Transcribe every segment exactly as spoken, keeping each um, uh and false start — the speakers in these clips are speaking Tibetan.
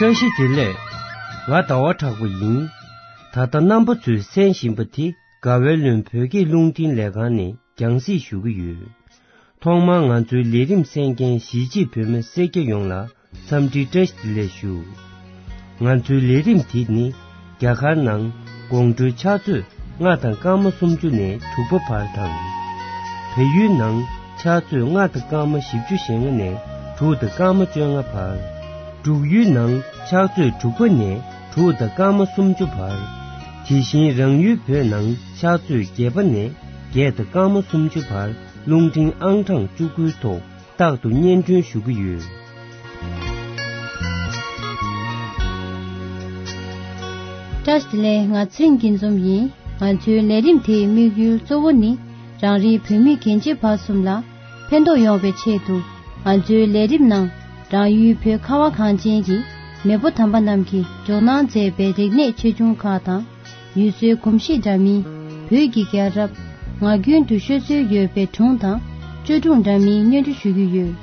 བཀྲ་ཤིས་བདེ་ལེགས། ང་ཟླ་བ་གྲགས་པ་ཡིན། ད་ལྟ་རྣམ་པ་ཚོས་གསན་བཞིན་པ་དེ་དགའ་བའི་ལུང་བོད་སྐད་རླུང་འཕྲིན་ལས་ཁང་ནས་རྒྱང་སྲིང་ཞུ་གི་ཡོད། ཐོག་མར་ང་ཚོའི་ལས་རིམ་གསན་མཁན་གཞིས་བྱེས་བོད་མི་སེར་སྐྱ་ཡོངས་ལ་འཚམས་འདྲི་བཀྲ་ཤིས་བདེ་ལེགས་ཞུ། ང་ཚོའི་ལས་རིམ་དེ་ནི་རྒྱ་གར་ནང་དགོང་དྲོའི་ཕྱག་ཚོད་ལྔ་དང་སྐར་མ་སུམ་ཅུ་ནས་དྲུག་པ་བར་དང་། བལ་ཡུལ་ནང་ཕྱག་ཚོད་ལྔ་དང་སྐར་མ་བཞི་བཅུ་ཞེ་ལྔ་ནས་དྲུག་དང་སྐར་མ་བཅོ་ལྔ་བར། འབྲུག་ཡུལ་ནང་ཕྱག་ཚོད་དྲུག་པ་ནས་དྲུག་དང་སྐར་མ་སུམ་ཅུ་བར། དེ་བཞིན་རང་ཡུལ་བོད་ནང་ཕྱག་ཚོད་བརྒྱད་པ་ནས་བརྒྱད་དང་སྐར་མ་སུམ་ཅུ་བར་རླུང་འཕྲིན་ཨང་གྲངས་བཅུ་དགུའི་ཐོག་རྟག་ཏུ་སྙན་སྒྲོན་ཞུ་གི་ཡོད། བཀྲ་ཤིས་བདེ་ལེགས། ང་ཚེ་རིང་སྐྱིད་འཛོམས་ཡིན། ང་ཚོའི་ལས་རིམ་དེའི་དམིགས་ཡུལ་གཙོ་བོ་ནི་རང་རེའི་བོད་མི་རྒན་བྱིས་བར་གསུམ་ལ་ཕན་ཐོགས་ཡོང་བའི་ཆེད་དུ། ང་ཚོའི་ལས་རིམ་ནང་རང་ཡུལ་བོད་ཁ་བ་གངས་ཅན་གྱི་མེས་པོ་དམ་པ་རྣམས་ཀྱིས་འཇོག་གནང་མཛད་པའི་རིག་གནས་ཆེ་ཆུང་ཁག་དང་། ཡུལ་སྲོལ་གོམས་གཤིས་འདྲ་མིན། བོད་ཀྱི་རྒྱལ་རབས། ངག་རྒྱུན་དུ་ཤོད་སྲོལ་ཡོད་པའི་སྒྲུང་དང་བཅོས་སྒྲུང་འདྲ་མིན་སྙན་སྒྲོན་ཞུ་རྒྱུ་ཡོད།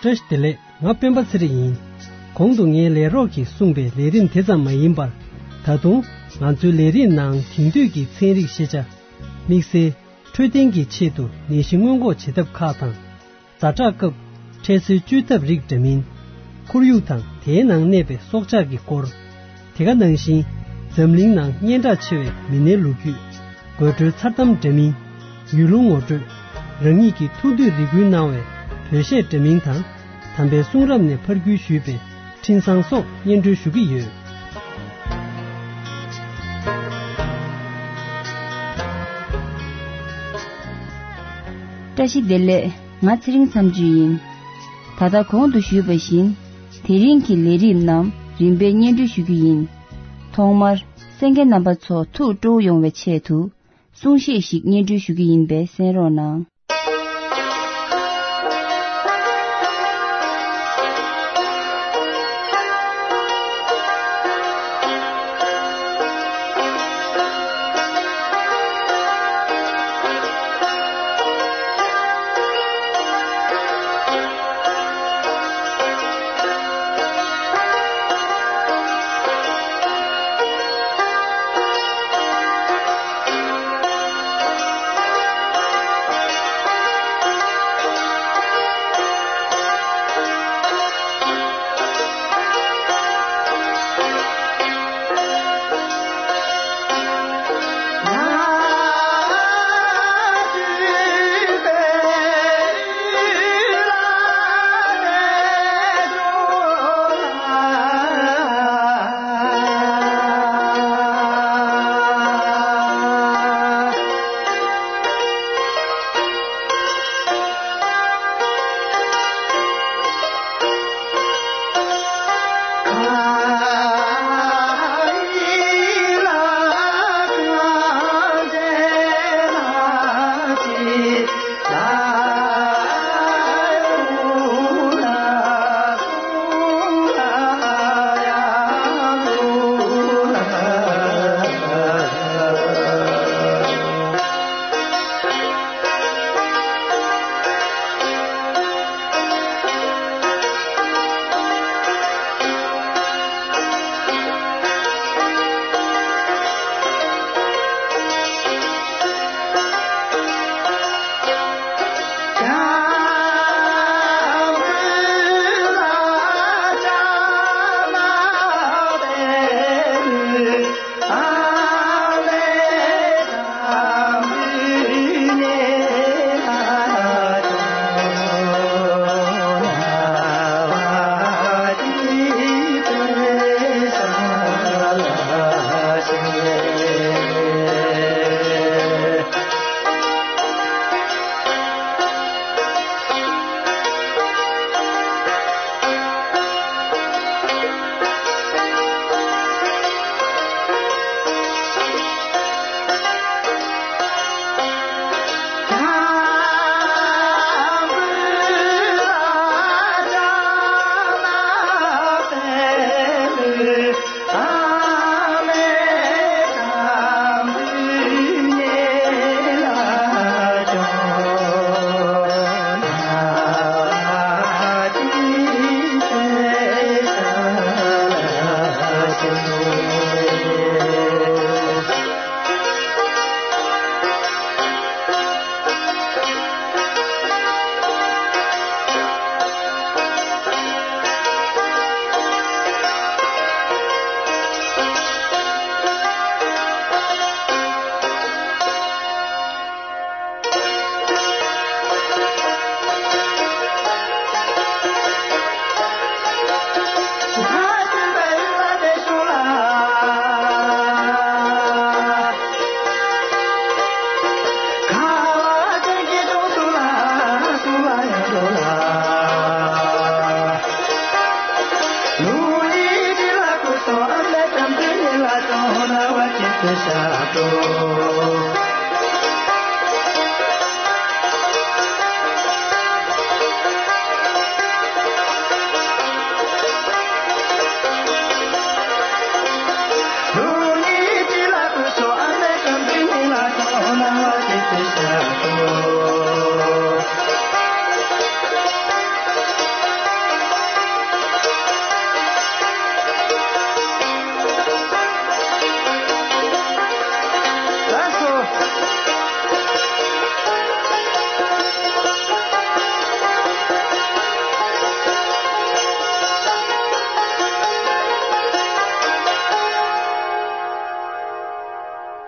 བཀྲ་ཤིས་བདེ་ལེགས། ང་སྤེན་པ་ཚེ་རིང་ཡིན། གོང་དུ་ངའི་ལས་རོགས་ཀྱིས་གསུངས་པའི་ལས་རིམ་དེ་ཙམ་མ་ཡིན་པར། ད་དུང་ང་ཚོའི་ལས་རིམ་ནང་དེང་དུས་ཀྱི་ཚན་རིག་ཤེས་བྱ། དམིགས་བསལ་འཕྲོད་བསྟེན་གྱི་ཆེད་དུ་ནད་གཞི་སྔོན་འགོག་བྱེད་ཐབས་ཁག་དང་། ཛ་དྲག་སྐབས་འཕྲལ་སེལ་བཅོས་ཐབས་རིགས་འདྲ་མིན། ཁོར་ཡུག་དང་དེའི་ནང་གནས་པའི་སྲོག་ཆགས་ཀྱི་སྐོར། དེ་ག་ནང་བཞིན་འཛམ་གླིང་ནང་སྙན་གྲགས་ཆེ་བའི་མི་སྣའི་ལོ་རྒྱུས། དགོད་བྲོའི་མཚར་གཏམ་འདྲ་མིན། ཡུལ་ལུང་ངོ་སྤྲོད། རང་ཉིད་ཀྱི་ཐུགས་འདོད་རེ་སྐུལ་གནང་བའི་བོད་གཞས་འདྲ་མིན་དང་། དམ་པའི་གསུང་རབ་ནས་ཕར་བརྒྱུད་ཞུས་པའི་འཕྲིན་བཟང་སོགས་སྙན་སྒྲོན་ཞུ་གི་ཡོད། བཀྲ་ཤིས་བདེ་ལེགས། ང་ཚེ་རིང་མཚམས་གཅོད་ཡིན། ད་ལྟ་གོང་དུ་ཞུས་པ་བཞིན། དེ་རིང་གི་ལས་རིམ་རྣམས་རིམ་པས་སྙན་སྒྲོན་ཞུ་རྒྱུ་ཡིན། ཐོག་མར་གསན་མཁན་རྣམ་པ་ཚོ་ཐུགས་སྤྲོ་བོ་ཡོང་བའི་ཆེད་དུ། གསུང་བཤད་ཞིག་སྙན་སྒྲོན་ཞུ་རྒྱུ་ཡིན་པས་གསན་རོགས་གནང་།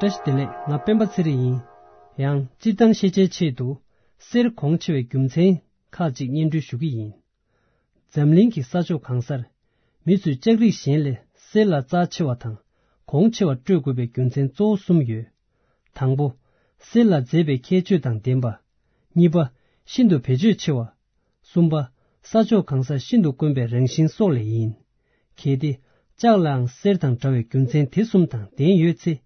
བཀྲ་ཤིས་བདེ་ལེགས། ང་སྤེན་པ་ཚེ་རིང་ཡིན། ཡང་སྤྱིར་བཏང་ཤེས་བྱའི་ཆེད་དུ་གསེར་གོང་ཆེ་བའི་རྒྱུ་མཚན་ཁག་ཅིག་སྙན་སྒྲོན་ཞུ་གི་ཡིན། འཛམ་གླིང་གི་ས་ཕྱོགས་གང་སར་མི་ཚོས་ལྕགས་རིགས་གཞན་ལས་གསེར་ལ་རྩ་ཆེ་བ་དང་གོང་ཆེ་བ་སྤྲོད་དགོས་པའི་རྒྱུ་མཚན་གཙོ་བོ་གསུམ་ཡོད། དང་པོ། གསེར་ལ་མཛེས་པའི་ཁྱད་ཆོས་དང་ལྡན་པ། གཉིས་པ། ཤིན་ཏུ་བེད་སྤྱོད་ཆེ་བ། གསུམ་པ། ས་ཕྱོགས་གང་སར་ཤིན་ཏུ་དཀོན་པའི་རང་བཞིན་སོགས་ལས་ཡིན། གལ་ཏེ། ལྕགས་ལའང་གསེར་དང་འདྲ་བའི་རྒྱུ་མཚན་དེ་གསུམ་དང་ལྡན་ཡོད་ཚེ།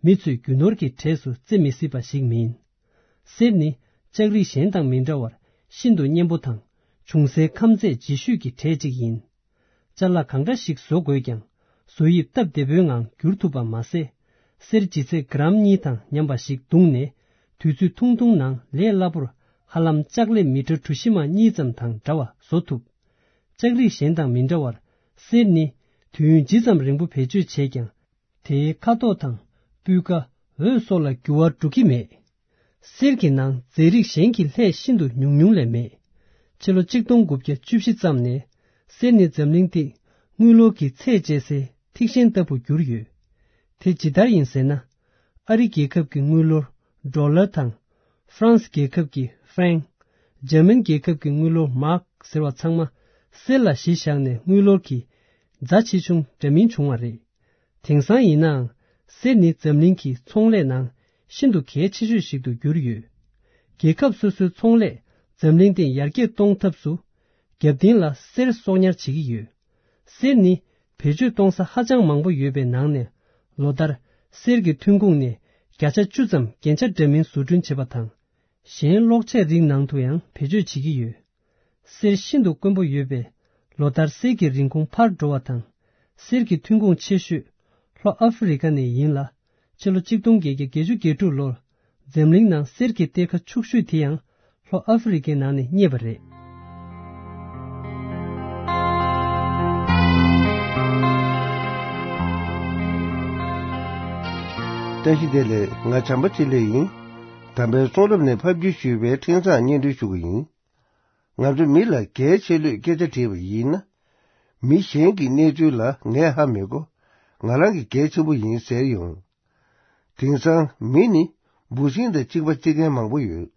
མི་ཚོས་རྒྱུ་ནོར་གྱི་གྲས་སུ་བརྩི་མི་སྲིད་པ་ཞིག་མིན། གསེར་ནི་ལྕགས་རིགས་གཞན་དང་མི་འདྲ་བར་ཤིན་ཏུ་གཉན་པོ་དང་། འབྱུང་སའི་ཁམས་ཚད་ལྗིད་ཤོས་ཀྱི་གྲས་གཅིག་ཡིན། ཅ་ལག་གང་འདྲ་ཞིག་བཟོ་དགོས་ཀྱང་། བཟོ་དབྱིབས་སྟབས་བདེ་པོའི་ངང་བསྒྱུར་ཐུབ་པ་མ་ཟད། གསེར་ལྗིད་ཚད་གྲམ་གཉིས་དང་མཉམ་པ་ཞིག་བརྡུངས་ནས། དུས་ཚོད་ཐུང་ཐུང་ནང་ལས་སླ་པོར་ཧ་ལམ་ལྕགས་ལེབ་མི་ཊར་གྲུ་བཞི་མ་གཉིས་ཙམ་དང་འདྲ་བ་བཟོ་ཐུབ། ལྕགས་རིགས་གཞན་དང་མི་འདྲ་བར། གསེར་ནི་དུས་ཡུན་ཇི་ཙམ་རིང་པོ་བེད་སྤྱོད་བྱས་ཀྱང་། དེའི་ཁ་དོག་དང་། སྤུས་ཀ། འོད་སོགས་ལ་འགྱུར་བ་འགྲོ་གི་མེད། གསེར་གྱི་ནང་རྫས་རིགས་གཞན་གྱི་ལྷད་ཤིན་ཏུ་ཉུང་ཉུང་ལས་མེད། ཕྱི་ལོ་གཅིག་སྟོང་དགུ་བརྒྱ་བཅུ་བཞི་ཙམ་ནས་གསེར་ནི་འཛམ་གླིང་སྟེང་དངུལ་ལོར་གྱི་ཚད་བཅད་སའི་ཐིག་ཤིང་ལྟ་བུར་གྱུར་ཡོད། དེ་ཇི་ལྟར་ཡིན་ཟེར་ན། ཨ་རི་རྒྱལ་ཁབ་ཀྱི་དངུལ་ལོར་ཌོ་ལར་དང་། ཧྥ་རན་སི་རྒྱལ་ཁབ་ཀྱི་ཧྥ་རན། འཇར་མན་རྒྱལ་ཁབ་ཀྱི་དངུལ་ལོར་མཱག་ཟེར་བ་ཚང་མ་གསེར་ལ་གཞི་བཞག་ནས་དངུལ་ལོར་གྱི་རྫ་ཆེ་ཆུང་འདྲ་མིན་བྱུང་བ་རེད། དེང་སང་ཡིན་ནའང་གསེར་ནི་འཛམ་གླིང་གི་ཚོང་ལས་ནང་ཤིན་ཏུ་གལ་ཆེ་ཤོས་ཤིག་ཏུ་གྱུར་ཡོད། རྒྱལ་ཁབ་སོ་སོའི་ཚོང་ལས་འཛམ་གླིང་སྟེང་ཡར་རྒྱས་གཏོང་ཐབས་སུ་རྒྱབ་རྟེན་ལ་གསེར་གསོག་ཉར་བྱེད་ཀྱི་ཡོད། གསེར་ནི་བེད་སྤྱོད་གཏོང་ས་ཧ་ཅང་མང་པོ་ཡོད་པའི་ནང་ནས་ལོ་ལྟར་གསེར་གྱི་ཐོན་ཁུངས་ནས་བརྒྱ་ཆ་བཅུ་ཙམ་རྒྱན་ཆ་འདྲ་མིན་བཟོ་སྐྲུན་བྱེད་པ་དང་། གཞན་གློག་ཆས་རིགས་ནང་དུ་ཡང་བེད་སྤྱོད་བྱེད་ཀྱི་ཡོད། གསེར་ཤིན་ཏུ་དཀོན་པོ་ཡོད་པས། ལོ་ལྟར་གསེར་གྱི་རིན་གོང་འཕར་འགྲོ་བ་དང་། གསེར་གྱི་ཐོན་ཁུངས་ཆེ་ཤོས་ལྷོ་ཨ་ཧྥེ་རི་ཁ་ནས་ཡིན་ལ། ཕྱི་ལོ་གཅིག་སྟོང་བརྒྱད་བརྒྱ་བརྒྱད་ཅུ་གྱ་དྲུག་ལོར་འཛམ་གླིང་ནང་གསེར་གྱི་གཏེར་ཁ་ཕྱུག་ཤོས་དེ་ཡང་ལྷོ་ཨ་ཧྥེ་རི་ཁའི་ནང་ནས་རྙེད་པ་རེད། བཀྲ་ཤིས་བདེ་ལེགས། ང་བྱམས་པ་ཚེ་ལེགས་ཡིན། དམ་པའི་གསུང་རབ་ནས་ཕབ་བསྒྱུར་ཞུས་པའི་འཕྲིན་བཟང་སྙན་སྒྲོན་ཞུ་གི་ཡིན། ང་ཚོ་མི་ལ་གལ་ཆེ་ལོས་སྐད་ཆ་དྲིས་པ་ཡིན་ན། མི་གཞན་གྱི་གནས་ཚུལ་ལ་ངས་ཧ་མི་གོ། ང་རང་གི་གལ་ཆེན་པོ་ཡིན་ཟེར་ཡོང་། དེང་སང་མི་ནི་འབུ་སྲིན་དང་གཅིག་པ་བརྩི་མཁན་མང་པོ་ཡོད།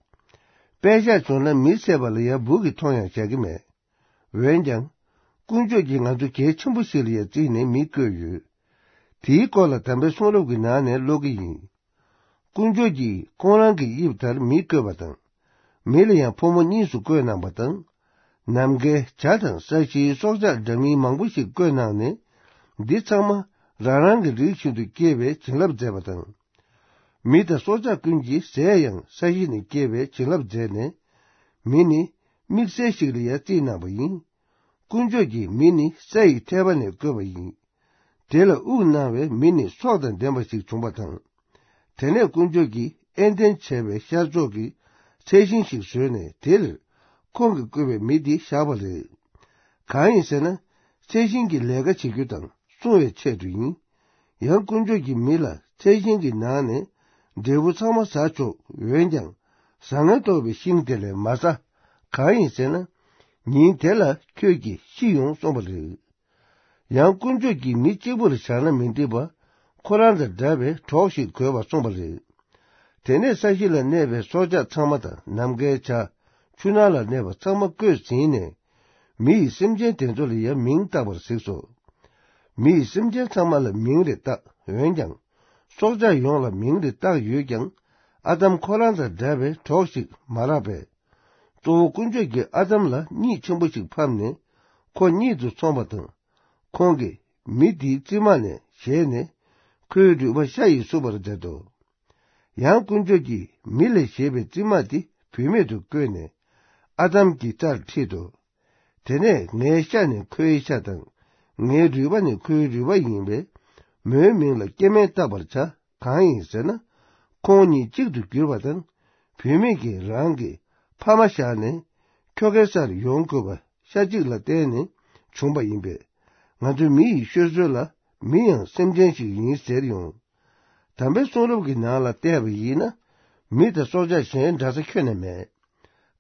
དཔེ་བཞག་བྱུང་ན་མི་བསད་པ་ལ་ཡང་འབུ་གིས་མཐོང་ཡང་བཞག་གི་མེད། འོན་ཀྱང་། དཀོན་མཆོག་གིས་ང་ཚོ་གལ་ཆེན་པོ་ཞིག་ལ་ཡང་བརྩིས་ནས་མི་བསྐོས་ཡོད། དེའི་སྐོར་ལ་དམ་པའི་གསུང་རབ་ཀྱི་ནང་ནས་ཀློག་གི་ཡིན། དཀོན་མཆོག་གིས་ཁོང་རང་གི་དབྱིབས་ལྟར་མི་བསྐོས་པ་དང་། མི་ལ་ཡང་ཕོ་མོ་གཉིས་སུ་བསྐོས་གནང་བ་དང་། ནམ་མཁའི་བྱ་དང་ས་གཞིའི་སྲོག་ཆགས་འདྲ་མིན་མང་པོ་ཞིག་བསྐོས་གནང་ནས། འདི་ཚང་མ་རང་རང་གི་རིགས་བཞིན་དུ་སྐྱེ་བའི་བྱིན་རླབས་མཛད་པ་དང་། མི་དང་སྲོག་ཆགས་ཀུན་གྱི་ཟས་ཡང་ས་གཞི་ནས་སྐྱེ་བའི་བྱིན་རླབས་མཛད་ནས། མི་ནི་དམིགས་བསལ་ཞིག་ལ་ཡང་བརྩིས་གནང་བ་ཡིན། དཀོན་མཆོག་གིས་མི་ནི་ས་ཡི་ཐལ་བ་ནས་བཀོད་པ་ཡིན། དེ་ལ་དབུགས་གནང་བས་མི་ནི་སྲོག་དང་ལྡན་པ་ཞིག་བྱུང་བ་དང་། དེ་ནས་དཀོན་མཆོག་གིས་ཨེ་དེན་བྱ་བའི་ཤར་ཕྱོགས་ཀྱི་ཚལ་ཤིང་ཞིག་བཟོས་ནས་དེར་ཁོང་གིས་བསྐོས་པའི་མི་དེ་བཞག་པ་རེད། གང་ཡིན་ཟེར་ན། ཚལ་ཤིང་གི་ལས་ཀ་བྱེད་རྒྱུ་དང་སྲུང་བའི་ཆེད་དུ་ཡིན། ཡང་དཀོན་མཆོག་གིས་མི་ལ་ཚལ་ཤིང་གི་ནང་ནས་འབྲས་བུ་ཚང་མ་ཟ་ཆོག་འོན་ཀྱང་། བཟང་ངན་རྟོགས་པའི་ཤིང་དེ་ལས་མ་ཟ། གང་ཡིན་ཟེར་ན། ཉིན་དེ་ལ་ཁྱོད་ཀྱིས་ཤི་ཡོང་གསུངས་པ་རེད། ཡང་དཀོན་མཆོག་གིས་མི་གཅིག་པུར་བཞག་ན་མི་འགྲིག་པ། ཁོ་རང་དང་འདྲ་བའི་གྲོགས་ཤིག་དགོས་པར་གསུངས་པ་རེད། དེ་ནས་ས་གཞི་ལ་གནས་པའི་སྲོག་ཆགས་ཚང་མ་དང་ནམ་མཁའི་བྱ། ཆུ་ནང་ལ་གནས་པ་ཚང་མ་བཀོད་ཟིན་ནས། མི་ཡིས་སེམས་ཅན་དེ་ཚོ་ལ་ཡང་མིང་བཏགས་པར་གཟིགས་སོ། མི་ཡིས་སེམས་ཅན་ཚང་མ་ལ་མིང་རེ་བཏགས། འོན་ཀྱང་། སྲོག་ཆགས་ཡོངས་ལ་མིང་རེ་བཏགས་ཡོད་ཀྱང་། ཨ་དམ་ཁོ་རང་དང་འདྲ་བའི་གྲོགས་ཤིག་མ་རག་པས། གཙོ་བོ་དཀོན་མཆོག་གིས་ཨ་དམ་ལ་གཉིད་ཆེན་པོ་ཞིག་ཕབ་ནས། ཁོ་གཉིད་དུ་སོང་བ་དང་། ཁོང་གིས་མི་དེའི་རྩིབ་མ་ནས་བཞེས་ནས། ཁོའི་རུས་པ་ཤ་ཡིས་བསྲུབས་པར་མཛད་དོ། ཡང་དཀོན་མཆོག་གིས་མི་ལས་བཞེས་པའི་རྩིབ་མ་དེ་བུད་མེད་དུ་བཀོད་ནས་ཨ་དམ་གྱི་རྩར་ཁྲིད་དོ། དེ་ནས་ངའི་ཤ་ནི་ཁོའི་ཤ་དང་། ངའི་རུས་པ་ནི་ཁོའི་རུས་པ་ཡིན་པས། མོའི་མིང་ལ་སྐྱེ་དམན་བཏགས་པར་བྱ། གང་ཡིན་ཟེར་ན། ཁོང་གཉིས་གཅིག་ཏུ་གྱུར་པ་དང་། བུད་མེད་ཀྱིས་རང་གི་ཕ་མ་བཞག་ནས་ཁྱོ་གའི་སར་ཡོང་དགོས་པ་ཤ་གཅིག་ལ་བརྟེན་ནས་བྱུང་བ་ཡིན་པས། ང་ཚོ་མི་ཡི་ཤོད་སྲོལ་ལ་མི་ཡང་སེམས་ཅན་ཞིག་ཡིན་ཟེར་ཡོང་། དམ་པའི་གསུང་རབ་ཀྱི་ནང་ལ་བལྟས་པ་ཡིན་ན། མི་དང་སྲོག་ཆགས་གཞན་འདྲ་ས་ཁྱོན་ནས་མེད།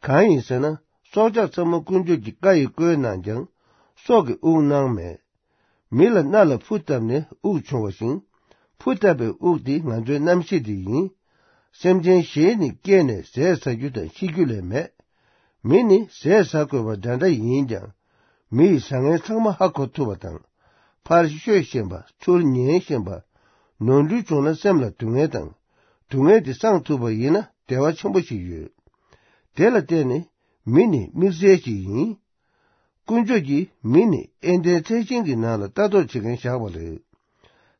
གང་ཡིན་ཟེར་ན། སྲོག་ཆགས་ཚང་མ་དཀོན་མཆོག་གི་བཀའ་ཡིས་བཀོད་གནང་ཀྱང་། སྲོག་གི་དབུགས་གནང་མེད། མི་ལ་སྣ་ལ་ཕུ་བཏབ་ནས་དབུགས་ཕྱུང་བ་བཞིན། ཕུ་བཏབ་པའི་དབུགས་དེ་ང་ཚོའི་རྣམ་ཤེས་དེ་ཡིན། སེམས་ཅན་གཞན་ནི་སྐྱེས་ནས་ཟས་ཟ་རྒྱུ་དང་ཤི་རྒྱུ་ལས་མེད། མི་ནི་ཟས་ཟ་དགོས་པ་འདྲ་འདྲ་ཡིན་ཀྱང་། མི་ཡི་བཟང་ངན་ཚང་མ་ཧ་གོ་ཐུབ་པ་དང་། ཕར་ཤོད་ཤེས་པ། ཚུར་ཉན་ཤེས་པ། ནོར་འཁྲུལ་བྱུང་ན་སེམས་ལ་སྡུག་བསྔལ་དང་། སྡུག་བསྔལ་དེ་སངས་ཐུབ་པ་ཡིན་ན་བདེ་བ་ཆེན་པོ་ཞིག་ཡོད། དེ་ལ་བརྟེན་ནས་མི་ནི་དམིགས་བསལ་ཞིག་ཡིན། དཀོན་མཆོག་གིས་མི་ནི་ཨེ་ལྡན་ཚལ་ཆེན་གྱི་ནང་ལ་ལྟ་རྟོག་བྱེད་མཁན་བཞག་པ་རེད།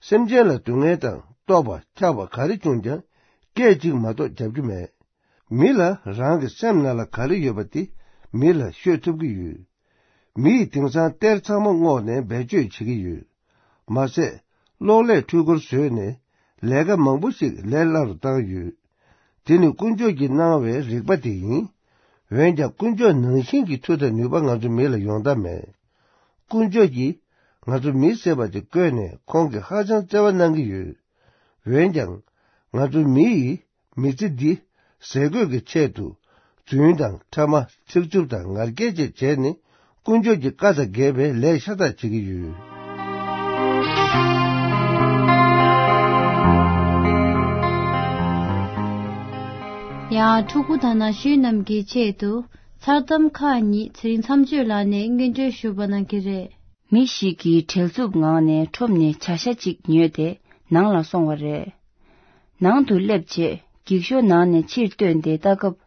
སེམས་ཅན་ལ་སྡུག་བསྔལ་དང་། ལྟོགས་པ། འཁྱགས་པ་ག་རེ་བྱུང་ཀྱང་སྐད་ཅིག་མ་གཏོགས་རྒྱབ་རྒྱུ་མེད། མི་ལ་རང་གི་སེམས་ནང་ལ་ག་རེ་ཡོད་པ་དེ་མི་ལ་ཤོད་ཐུབ་ཀྱི་ཡོད། མི་ཡིས་དེང་སང་གཏེར་ཚང་མ་བསྔོགས་ནས་བེད་སྤྱོད་བྱེད་ཀྱི་ཡོད། མ་ཟད། གློག་ཀླད་འཕྲུལ་འཁོར་བཟོས་ནས་ལས་ཀ་མང་པོ་ཞིག་ལས་སླ་རུ་བཏང་ཡོད། དེ་ནི་དཀོན་མཆོག་གིས་གནང་བའི་རིག་པ་དེ་ཡིན། འོན་ཀྱང་དཀོན་མཆོག་ནང་བཞིན་གྱི་མཐུ་དང་ནུས་པ་ང་ཚོ་མི་ལ་ཡོང་ཐབས་མེད། དཀོན་མཆོག་གིས་ང་ཚོ་མི་ཟེར་བ་དེ་བཀོད་ནས་ཁོང་གིས་ཧ་ཅང་བརྩེ་བ་གནང་གི་ཡོད། འོན་ཀྱང་། ང་ཚོ་མི་ཡིས་མི་ཚེ་འདི་ཟས་གོས་ཀྱི་ཆེད་དུ། རྫུན་དང་ཕྲ་མ། ཚིག་རྩུབ་དང་ངར་སྐད་བཅས་བྱས་ནས། དཀོན་མཆོག་གི་བཀའ་དང་འགལ་བའི་ལས་ཤ་སྟག་བྱེད་ཀྱི་ཡོད། ཡང་ཕྲུ་གུ་དང་ན་གཞོན་རྣམས་ཀྱི་ཆེད་དུ་མཚར་གཏམ་ཁག་གཉིས་ཚེ་རིང་མཚམས་གཅོད་ལགས་ནས་སྙན་སྒྲོན་ཞུ་བ་གནང་གི་རེད། མི་ཞིག་གིས་བྲེལ་འཚུབ་ངང་ནས་ཁྲོམ་ནས་བྱ་ཤ་གཅིག་ཉོས་ཏེ་ནང་ལ་སོང་བ་རེད། ནང་དུ་སླེབས་རྗེས་འགྱིག་ཤོག་ནང་ནས་ཕྱིར་བཏོན་ཏེ་ལྟ་སྐབས།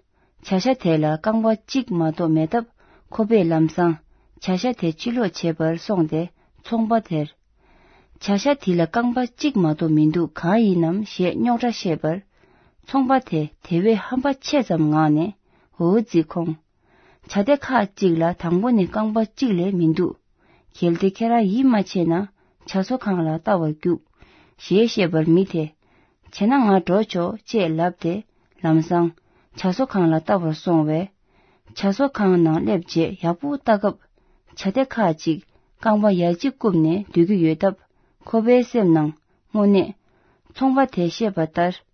བྱ་ཤ་དེ་ལ་རྐང་པ་གཅིག་མ་གཏོགས་མེད་སྟབས། ཁོ་པས་ལམ་སང་བྱ་ཤ་དེ་ཕྱིར་སློག་བྱེད་པར་སོང་སྟེ་ཚོང་པ་དེར། བྱ་ཤ་དེ་ལ་རྐང་པ་གཅིག་མ་གཏོགས་མི་འདུག་གང་ཡིན་ནམ་ཞེས་རྙོག་དྲ་བཤད་པར། ཚོང་པ་དེ་དེ་བས་ཧམ་པ་ཆེ་ཙམ་ངང་ནས་འོ་ཙི་ཁོང་། བྱ་དེ་ཁག་གཅིག་ལ་དང་པོ་ནས་རྐང་པ་གཅིག་ལས་མི་འདུག་གལ་ཏེ་ཁྱེད་རང་ཡིད་མ་ཆེས་ན་བྱ་གསོ་ཁང་ལ་ལྟ་བར་རྒྱུགས། ཞེས་བཤད་པར་མི་དེ། བྱས་ན་ང་འགྲོ་ཆོག་ཅེས་ལབ་སྟེ་ལམ་སང་བྱ་གསོ་ཁང་ལ་ལྟ་བར་སོང་བས། བྱ་གསོ་ཁང་ནང་སླེབས་རྗེས་ཡག་པོ་ལྟ་སྐབས། བྱ་དེ་ཁག་ཅིག་རྐང་པ་ཡ་གཅིག་བཀུམ་ནས་སྡོད་ཀྱི་ཡོད་སྟབས། ཁོ་པའི་སེམས་ནང་དངོས་གནས། ཚོང་པ་དེས་བཤད་པ་ལྟར།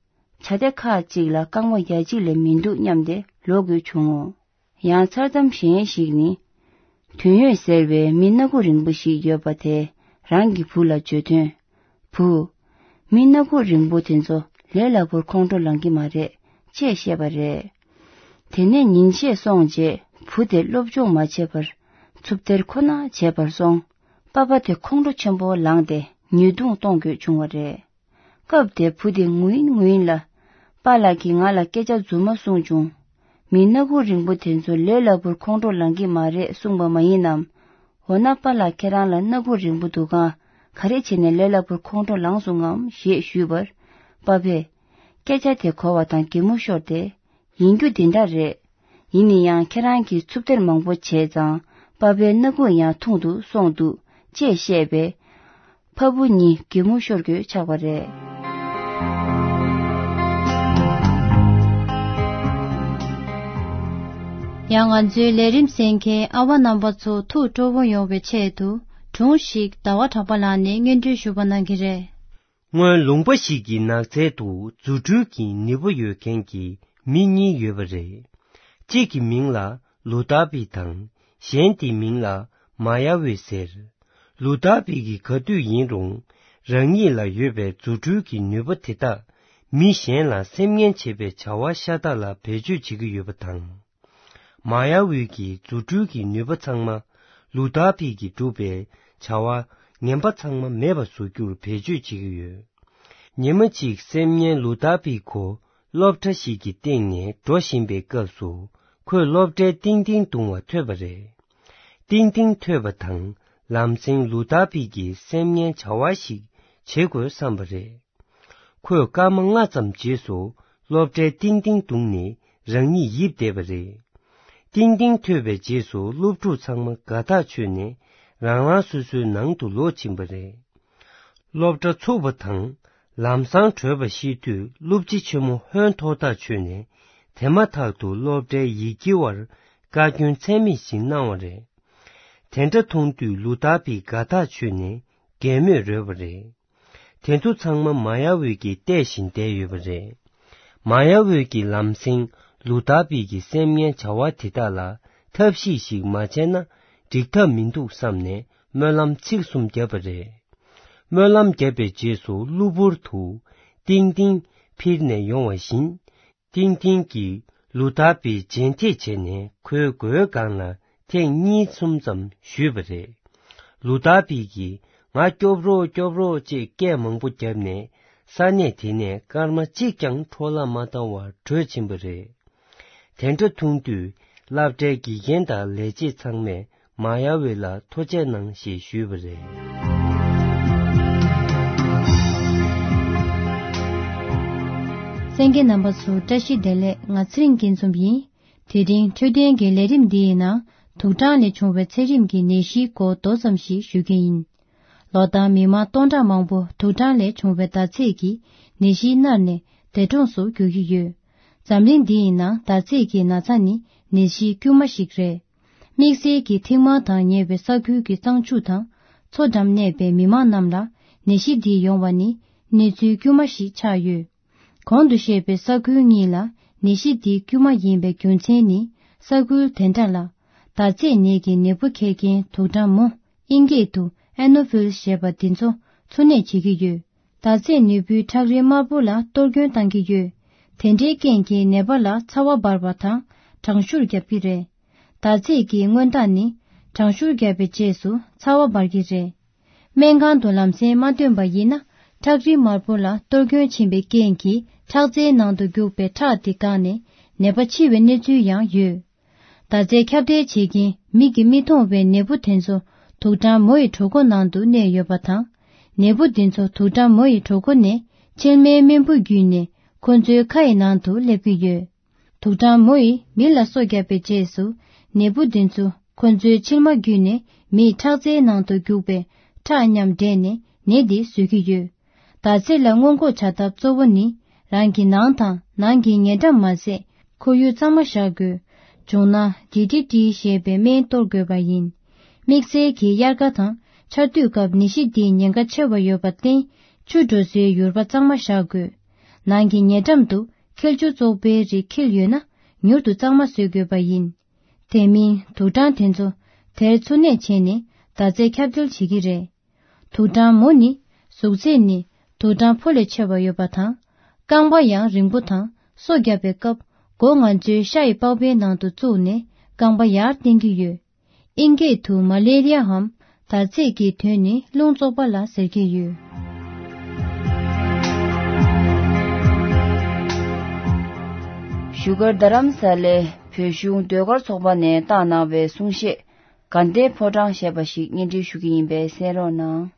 བྱ་དེ་ཁག་ཅིག་ལ་རྐང་པ་ཡ་གཅིག་ལས་མི་འདུག་སྙམ་སྟེ་ལོག་དགོས་བྱུང་ངོ་། ཡང་མཚར་གཏམ་གཞན་ཞིག་ནི། དོན་ཡོད་ཟེར་བའི་མི་སྣ་ཁུག་རིང་པོ་ཞིག་ཡོད་པ་དེས་རང་གི་བུ་ལ་བརྗོད་དོན། བུ། མི་སྣ་ཁུག་རིང་པོ་དེ་ཚོ་ལས་སླ་པོར་ཁོང་ཁྲོ་ལངས་ཀྱི་མ་རེད་ཅེས་བཤད་པ་རེད། དེ་ནས་ཉིན་ཤས་སོང་རྗེས་བུ་དེ་སློབ་སྦྱོང་མ་བྱས་པར་འཚུབ་སྟེར་ཁོ་ན་བྱས་པར་སོང་། པ་ཕ་དེ་ཁོང་ཁྲོ་ཆེན་པོ་ལངས་ཏེ་ཉེས་རྡུང་གཏོང་དགོས་བྱུང་བ་རེད། སྐབས་དེར་བུ་དེ་ངུ་ཡིན་ངུ་ཡིན་ལ། པཱ་ལགས་ཀྱིས་ང་ལ་སྐད་ཆ་རྫུན་མ་གསུངས་བྱུང་། མི་སྣ་ཁུག་རིང་པོ་དེ་ཚོ་ལས་སླ་པོར་ཁོང་ཁྲོ་ལངས་ཀྱི་མ་རེད་གསུངས་པ་མ་ཡིན་ནམ། འོ་ན་པཱ་ལགས་ཁྱེད་རང་ལ་སྣ་ཁུག་རིང་པོ་འདུག་ག་ག་རེ་བྱས་ནས་ལས་སླ་པོར་ཁོང་ཁྲོ་ལངས་སོང་ངམ་ཞེས་ཞུས་པར། པ་ཕས། སྐད་ཆ་དེ་གོ་བ་དང་གད་མོ་ཤོར་ཏེ། ཡིན་རྒྱུ་དེ་འདྲ་རེད། ཡིན་ན་ཡང་ཁྱེད་རང་གིས་འཚུབ་སྟེར་མང་པོ་བྱས་ཙང་པ་ཕའི་སྣ་ཁུག་ཡང་ཐུང་དུ་སོང་འདུག་ཅེས་བཤད་པས། ཕ་བུ་གཉིས་གད་མོ་ཤོར་དགོས་ཆགས་པ་རེད། ཡང་ང་ཚོའི་ལས་རིམ་གསན་མཁན་ཨ་བ་རྣམ་པ་ཚོ་ཐུགས་སྤྲོ་བོ་ཡོང་བའི་ཆེད་དུ་སྒྲུང་ཞིག་ཟླ་བ་གྲགས་པ་ལགས་ནས་སྙན་སྒྲོན་ཞུ་བ་གནང་གི་རེད། སྔོན་ལུང་པ་ཞིག་གི་ནགས་ཚལ་དུ་རྫུ་འཕྲུལ་གྱི་ནུས་པ་ཡོད་མཁན་གྱི་མི་གཉིས་ཡོད་པ་རེད། གཅིག་གི་མིང་ལ་ལུ་ཏཱ་པི་དང་གཞན་དེའི་མིང་ལ་མ་ཡ་ཝི་ཟེར། ལུ་ཏཱ་པི་གིས་ག་དུས་ཡིན་རུང་རང་ཉིད་ལ་ཡོད་པའི་རྫུ་འཕྲུལ་གྱི་ནུས་པ་དེ་དག་མི་གཞན་ལ་སེམས་ངན་བྱེད་པའི་བྱ་བ་ཤ་སྟག་ལ་བེད་སྤྱོད་བྱེད་ཀྱི་ཡོད་པ་དང་། མ་ཡ་ཝི་གི་རྫུ་འཕྲུལ་གྱི་ནུས་པ་ཚང་མ་ལུ་ཏཱ་པི་གིས་བསྒྲུབས་པའི་བྱ་བ་ངན་པ་ཚང་མ་མེད་པ་བཟོ་རྒྱུར་བེད་སྤྱོད་བྱེད་ཀྱི་ཡོད། ཉི་མ་གཅིག་སེམས་ངན་ལུ་ཏཱ་པི་ཁོ་སློབ་གྲྭ་ཞིག་གི་སྟེང་ནས་འགྲོ་བཞིན་པའི་སྐབས་སུ་ཁོས་སློབ་གྲྭའི་ཏིང་ཏིང་བརྡུང་བ་ཐོས་པ་རེད། ཏིང་ཏིང་ཐོས་པ་དང་ལམ་སེང་ལུ་ཏཱ་པི་གིས་སེམས་ངན་བྱ་བ་ཞིག་བྱེད་དགོས་བསམ་པ་རེད། ཁོས་སྐར་མ་ལྔ་ཙམ་རྗེས་སུ་སློབ་གྲྭའི་ཏིང་ཏིང་བརྡུངས་ནས་རང་ཉིད་ཡིབ་བསྡད་པ་རེད། ཏིང་ཏིང་ཐོས་པའི་རྗེས་སུ་སློབ་ཕྲུག་ཚང་མ་དགའ་ཐག་ཆོད་ནས་རང་རང་སོ་སོའི་ནང་དུ་ལོག་ཕྱིན་པ་རེད། སློབ་གྲྭ་ཚུགས་པ་དང་ལམ་སང་བྲོས་པ་ཤེས་དུས་སློབ་སྤྱི་ཆེན་མོ་ཧོན་ཐོར་ཐག་ཆོད་ནས་དེ་མ་ཐག་ཏུ་སློབ་གྲྭའི་ཡིད་ཀྱི་བར་བཀའ་བཀྱོན་ཚད་མེད་ཞིག་གནང་བ་རེད། དེ་འདྲ་མཐོང་དུས་ལུ་ཐར་པི་དགའ་ཐག་ཆོད་ནས་གད་མོས་རོལ་བ་རེད། དེ་ཚོ་ཚང་མ་མ་ཡ་ཝེ་གིས་བལྟས་བཞིན་བསྡད་ཡོད་པ་རེད། མ་ཡ་ཝེ་གི་ལམ་སེང་ལུ་ཐར་པི་གི་སེམས་ངན་བྱ་བ་དེ་དག་ལ་ཐབས་ཤེས་ཤིག་མ་བྱས་ན་འགྲིག་ཐབས་མི་འདུག་བསམ་ནས་སྨོན་ལམ་ཚིག་གསུམ་བརྒྱབ་པ་རེད། སྨོན་ལམ་བརྒྱབ་པའི་རྗེས་སུ་གློ་བུར་དུ་ཏིང་ཏིང་འཕུར་ནས་ཡོང་བ་བཞིན། ཏིང་ཏིང་གིས་ལུ་ཐར་པི་རྗེས་འདེད་བྱས་ནས་ཁོའི་མགོའི་སྒང་ལ་ཐེངས་གཉིས་གསུམ་ཙམ་གཞུས་པ་རེད། ལུ་ཐར་པི་གིས་ང་སྐྱོབ་རོགས་སྐྱོབ་རོགས་ཅེས་སྐད་མང་པོ་བརྒྱབ་ནས་ས་གནས་དེ་ནས་སྐར་མ་གཅིག་ཀྱང་འཕྲོ་བརླག་མ་བཏང་བར་བྲོས་ཕྱིན་པ་རེད། དེ་འདྲ་མཐོང་དུས་སློབ་གྲྭའི་དགེ་རྒན་དང་ལས་བྱེད་ཚང་མས་མ་ཡ་ཝེ་ལ་ཐུགས་རྗེ་གནང་ཞེས་ཞུས་པ་རེད། གསན་མཁན་རྣམ་པ་ཚོ་བཀྲ་ཤིས་བདེ་ལེགས། ང་ཚེ་རིང་སྐྱིད་འཛོམས་ཡིན། དེ་རིང་འཕྲོད་བསྟེན་གྱི་ལས་རིམ་འདིའི་ནང་དུག་སྦྲང་ལས་བྱུང་བའི་ཚད་རིམས་ཀྱི་ནད་གཞིའི་སྐོར་མདོ་ཙམ་ཞིག་ཞུ་གི་ཡིན། ལོ་ལྟར་མི་མང་སྟོང་ཕྲག་མང་པོ་དུག་སྦྲང་ལས་བྱུང་བའི་འདར་ཚད་ཀྱིས་ནད་གཞིས་མནར་ནས་འདས་གྲོངས་སུ་འགྱུར་གྱི་ཡོད། འཛམ་གླིང་འདིའི་ནང་འདར་ཚད་ཀྱི་ན་ཚ་ནི་ནད་གཞིའི་དཀྱུས་མ་ཞིག་རེད། དམིགས་བསལ་གྱི་ཐིག་དམར་དང་ཉེ་བའི་ས་ཁུལ་གྱི་གཙང་ཆུ་དང་མཚོ་འགྲམ་གནས་པའི་མི་མང་རྣམས་ལ་ནད་གཞི་འདི་ཡོང་བ་ནི་གནས་ཚུལ་དཀྱུས་མ་ཞིག་ཆགས་ཡོད། གོང་དུ་བཤད་པའི་ས་ཁུལ་གཉིས་ལ་ནད་གཞི་འདི་དཀྱུས་མ་ཡིན་པའི་རྒྱུ་མཚན་ནི་ས་ཁུལ་དེ་འདྲ་ལ་འདར་ཚད་ནད་ཀྱི་ནད་འབུ་འཁྱེར་མཁན་དུག་སྦྲང་མོ་ཨིན་སྐད་དུ་ཨེ་ནོ་ཕིལ་ཞེས་པ་འདི་ཚོ་འཚོ་གནས་བྱེད་ཀྱི་ཡོད། འདར་ཚད་ནད་འབུའི་ཁྲག་རིལ་དམར་པོ་ལ་གཏོར་སྐྱོན་བཏང་གི་ཡོད། དེ་འདྲའི་རྐྱེན་གྱིས་ནད་པ་ལ་ཚ་བ་འབར་བ་དང་གྲང་ཤུར་བརྒྱབ་ཀྱི་རེད། འདར་ཚད་ཀྱི་མངོན་རྟགས་ནི་གྲང་ཤུར་བརྒྱབ་པའི་རྗེས་སུ་ཚ་བ་འབར་གྱི་རེད། སྨན་ཁང་དུ་ལམ་སེང་མ་ཐོན་པ་ཡིན་ན་ཁྲག་རིལ་དམར་པོ་ལ་གཏོར་སྐྱོན་ཕྱིན་པའི་རྐྱེན་གྱིས་ཁྲག་རྩའི་ནང་དུ་རྒྱུག་པའི་ཁྲག་དེ་འགགས་ནས་ནད་པ་འཆི་བའི་གནས་ཚུལ་ཡང་ཡོད། འདར་ཚད་ཁྱབ་གདལ་བྱེད་མཁན་མིག་གིས་མི་མཐོང་བའི་ནད་འབུ་དེ་ཚོ་དུག་སྦྲང་མོ་ཡི་གྲོད་ཁོག་ནང་དུ་གནས་ཡོད་པ་དང་། ནད་འབུ་འདི་ཚོ་དུག་སྦྲང་མོ་ཡི་གྲོད་ཁོག་ནས་མཆིལ་མའི་རྨེན་བུ་བརྒྱུད་ནས་ཁོ་ཚོའི་ཁ་ཡི་ནང་དུ་སླེབས་ཀྱི་ཡོད། དུག་སྦྲང་མོ་ཡིས་མི་ལ་སོ་བརྒྱབ་པའི་རྗེས་སུ་ནད་འབུ་འདི་ཚོ་ཁོ་ཚོའི་མཆིལ་མ་བརྒྱུད་ནས་མིའི་ཁྲག་རྩའི་ནང་དུ་རྒྱུག་པའི་ཁྲག་མཉམ་འདྲེས་ནས་ནད་འདི་བཟོ་གི་ཡོད། འདར་ཚད་ལ་སྔོན་འགོག་བྱ་ཐབས་གཙོ་བོ་ནི་རང་གི་ནང་དང་ནང་གི་ཉེ་འགྲམ་མ་ཟད་ཁོར་ཡུག་གཙང་མ་བཞག་དགོས། བྱུང་ན་ཌི་ཌི་ཊི་ཞེས་པའི་སྨན་གཏོར་དགོས་པ་ཡིན། དམིགས་བསལ་གྱི་དབྱར་ཁ་དང་ཆར་དུས་སྐབས་ནད་གཞི་འདིའི་ཉེན་ཁ་ཆེ་བ་ཡོད་པར་བརྟེན་ཆུ་འགྲོ་སའི་ཡུར་བ་གཙང་མ་བཞག་དགོས། ནང་གི་ཉེ་འགྲམ་དུ་འཁྱིལ་ཆུ་བཙོག་པའི་རིགས་འཁྱིལ་ཡོད་ན་མྱུར་དུ་གཙང་མ་བཟོ་དགོས་པ་ཡིན། དེ་མིན་དུག་སྦྲང་དེ་ཚོ་དེར་འཚོ་གནས་བྱས་ནས་འདར་ཚད་ཁྱབ་གདལ་བྱེད་ཀྱི་རེད། དུག་སྦྲང་མོ་ནི་གཟུགས་ཚད་ནི་དུག་སྦྲང་ཕོ་ལས་ཆེ་བ་ཡོད་པ་དང་། རྐང་པ་ཡང་རིང་པོ་དང་སོ་བརྒྱབ་པའི་སྐབས་མགོ་ང་ཚོའི་ཤ་ཡི་པགས་པའི་ནང་དུ་བཙུགས་ནས་རྐང་པ་ཡར་བསྟན་གྱི་ཡོད། ཨིན་སྐད་དུ་མ་ལེ་རི་ཡའམ་འདར་ཚད་ཀྱི་དོན་ནི་རླུང་བཙོག་པ་ལ་ཟེར་གྱི་ཡོད། བཞུགས་སྒར་རྡ་རམ་ས་ལའི་བོད་གཞུང་ཟློས་གར་ཚོགས་པ་ནས་བཏང་གནང་བའི་གསུང་བཤད་དགའ་ལྡན་ཕོ་བྲང་ཞེས་པ་ཞིག་སྙན་སྒྲོན་ཞུ་གི་ཡིན་པས་གསན་རོགས་གནང་།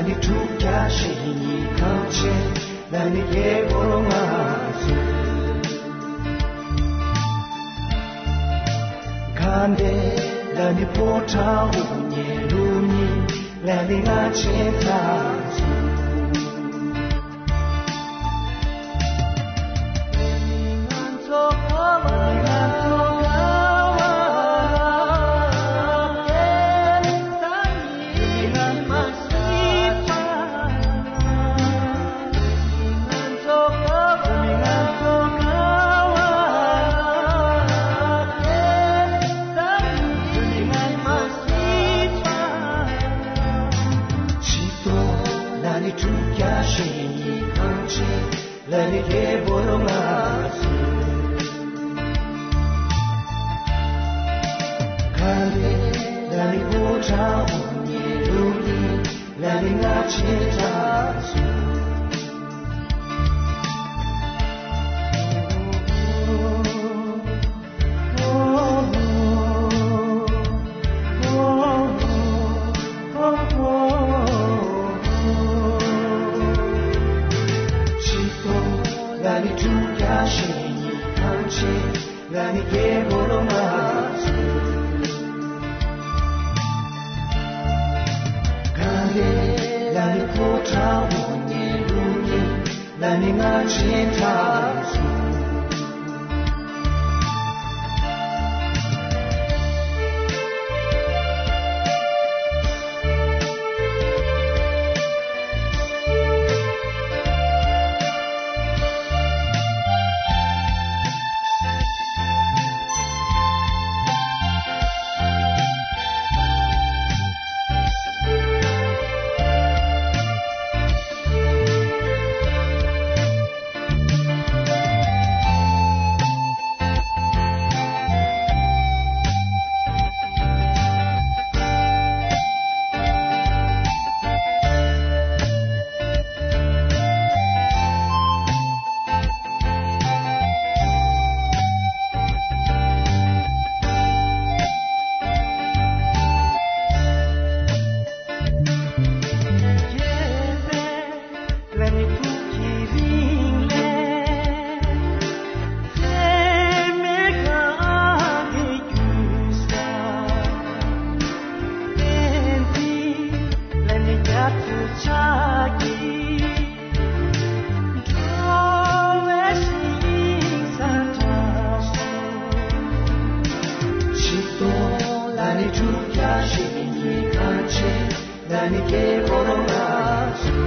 ནི་དྲུག་བརྒྱ་ཞེ་གཉིས་གང་ཆེ། ལ་ནི་རྒྱལ་པོ་ལོ་ང་ཚོ། གང་དེ་ལ་ནི་ཕོ་བྲང་དབུ་བརྙེས་ལུགས་གཉིས། ལ་ནི་ང་ཆེ་ཚ་ཚོ། ཆིག་སྟོང་ལ་ནི་དྲུག་བརྒྱ་ཞེ་གཉིས་གང་ཆེ། ལ་ནི་རྒྱལ་པོ་ལོ་ང་ཚོ། གང་དེ་ལ་ནི་ཕོ་བྲང་དབུ་བརྙེས་ལུགས་གཉིས། ལ་ནི་ང་ཆེ་ཚ་ཚོ། ཆིག་སྟོང་ལ་ནི་དྲུག་བརྒྱ་ཞེ་གཉིས་གང་ཆེ། ལ་ནི་རྒྱལ་པོ་ལོ་ང་ཚོ། གང་དེ་ལ་ནི་ཕོ་བྲང་དབུ་བརྙེས་ལུགས་གཉིས། ལ་ནི་ང་ཆེ་ཚ་ཚོ། ཆིག་སྟོང་ལ་ནི་དྲུག་བརྒྱ་ཞེ་གཉིས་གང་ཆེ། ལ་ནི་རྒྱལ་པོ་ལོ་ང་ཚོ།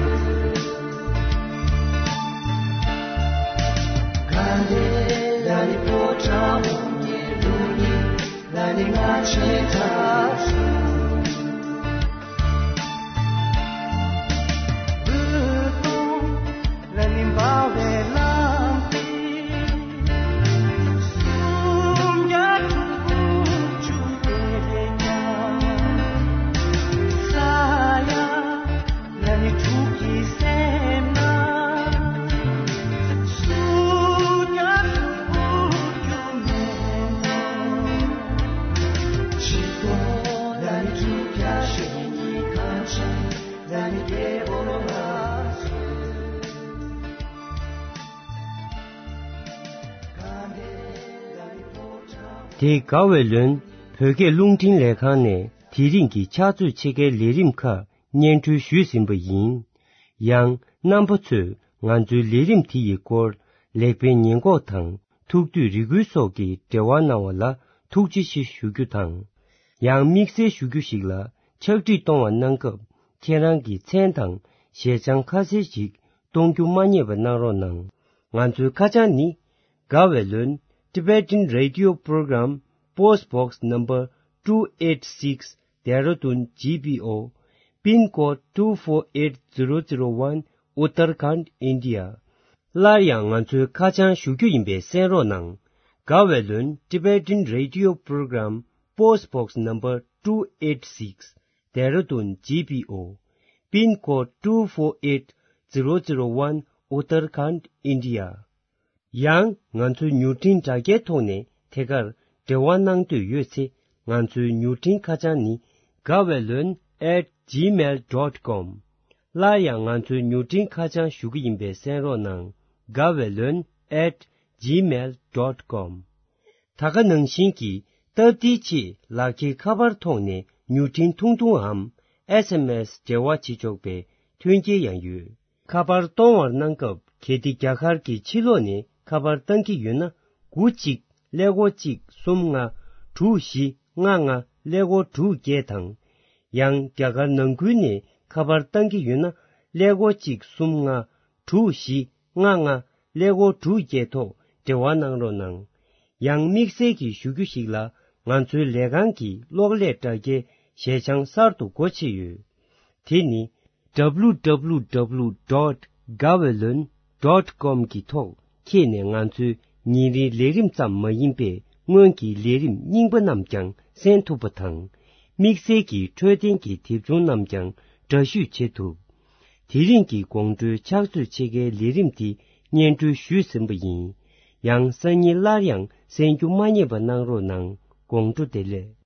གང་དེ་ལ་ནི་ཕོ་བྲང་དབུ་བརྙེས་ལུགས་གཉིས། ལ་ནི་ང་ཆེ་ཚ་ཚོ། ལ་ནི་འབར་བའི་ལམ་དེ། སུམ་བརྒྱ་དྲུག་ཅུ་རེ་བརྒྱ། ས་ཡ་ལ་ནི་དྲུག་གི་སེམས་ན། སུམ་བརྒྱ་དྲུག་ཅུ་མེད་ནོ། ཆིག་སྟོང་ལ་ནི་དྲུག་བརྒྱ་ཞེ་གཉིས་གང་ཆེ། ལ་ནི་རྒྱལ་པོ་ལོ་ང་ཚོ། དེ་དགའ་བའི་ལོན་བོད་སྐད་རླུང་འཕྲིན་ལས་ཁང་ནས་དེ་རིང་གི་ཕྱག་ཚོད་ཕྱེད་ཀའི་ལས་རིམ་ཁག་སྙན་སྒྲོན་ཞུས་ཟིན་པ་ཡིན། ཡང་རྣམ་པ་ཚོས་ང་ཚོའི་ལས་རིམ་དེ་ཡི་སྐོར་ལེགས་སྤེལ་ཉེས་འགོག་དང་ཐུགས་འདོད་རེ་སྐུལ་སོགས་ཀྱི་འབྲེལ་བ་གནང་བ་ལ་ཐུགས་རྗེ་ཆེ་ཞུ་རྒྱུ་དང་། ཡང་དམིགས་བསལ་ཞུ་རྒྱུ་ཞིག་ལ། ཕྱག་བྲིས་གཏོང་བ་གནང་སྐབས་ཁྱེད་རང་གི་མཚན་དང་ཞལ་བྱང་ཁ་གསལ་ཞིག་གཏོང་རྒྱུ་མ་བསྙེལ་བ་གནང་རོགས་གནང་། ང་ཚོའི་ཁ་བྱང་ནི། དགའ་བའི་ལོན། Tibetan Radio Program, Post Box Number two eight six, Dehradun G P O, Pin Code two four eight zero zero one, Uttarakhand, India. སླར་ཡང་ང་ཚོའི་ཁ་བྱང་ཞུ་རྒྱུ་ཡིན་པས་གསན་རོགས་གནང་། དགའ་བའི་ལོན། Tibetan Radio Program, Post Box Number two eight six, Dehradun G P O, Pin Code two four eight zero zero one, Uttarakhand, India. ཡང་ང་ཚོའི་མྱུར་འཕྲིན་དྲ་རྒྱའི་ཐོག་ནས་ཐད་ཀར་འབྲེལ་བ་གནང་འདོད་ཡོད་ཚེ། ང་ཚོའི་མྱུར་འཕྲིན་ཁ་བྱང་ནི། དགའ་བའི་ལོན་at gmail dot com། སླར་ཡང་ང་ཚོའི་མྱུར་འཕྲིན་ཁ་བྱང་ཞུ་གི་ཡིན་པས་གསན་རོགས་གནང་། Gawaylon at gmail dot com། ད་ག་ནང་བཞིན་གྱི་སྟབས་བདེའི་ཆེད་ལག་འཁྱེར་ཁ་པར་ཐོག་ནས་མྱུར་འཕྲིན་ཐུང་ཐུང་འམ་ཨེས་ཨེམ་ཨེས་འབྲེལ་བ་བྱེད་ཆོག་པའི་མཐུན་རྐྱེན་ཡང་ཡོད། ཁ་པར་གཏོང་བར་གནང་སྐབས་གལ་ཏེ་རྒྱ་གར་གྱི་ཕྱི་ལོགས་ནས་ཁ་པར་བཏང་གི་ཡོད་ན། དགུ་གཅིག་ཀླད་ཀོར་གཅིག་གསུམ་ལྔ་དྲུག་བཞི་ལྔ་ལྔ་ཀླད་ཀོར་དྲུག་བརྒྱད་དང་། ཡང་རྒྱ་གར་ནང་ཁུལ་ནས་ཁ་པར་བཏང་གི་ཡོད་ན། ཀླད་ཀོར་གཅིག་གསུམ་ལྔ་དྲུག་བཞི་ལྔ་ལྔ་ཀླད་ཀོར་དྲུག་བརྒྱད་ཐོག་འབྲེལ་བ་གནང་རོགས་གནང་། ཡང་དམིགས་བསལ་གྱི་ཞུ་རྒྱུ་ཞིག་ལ། ང་ཚོའི་ལས་ཁང་གི་གློག་ཀླད་དྲ་རྒྱའི་ཞལ་བྱང་གསར་དུ་སྒོ་ཕྱེ་ཡོད། དེ་ནི། W W W dot gawaylon dot com གི་ཐོག་འཁྱེར་ནས་ང་ཚོའི་ཉིན་རེའི་ལས་རིམ་ཙམ་མ་ཡིན་པའི་སྔོན་གྱི་ལས་རིམ་རྙིང་པ་རྣམས་ཀྱང་གསན་ཐུབ་པ་དང་། དམིགས་བསལ་གྱི་འཕྲོད་བསྟེན་གྱི་དེབ་ཆུང་རྣམས་ཀྱང་འདྲ་བཤུས་བྱེད་ཐུབ། དེ་རིང་གི་དགོང་དྲོའི་ཕྱག་ཚོད་ཕྱེད་ཀའི་ལས་རིམ་འདི་སྙན་སྒྲོན་ཞུས་ཟིན་པ་ཡིན། ཡང་སང་ཉིན་སླར་ཡང་གསན་རྒྱུ་མ་བསྙེལ་བ་གནང་རོགས་གནང་། དགོང་དྲོ་བདེ་ལེགས།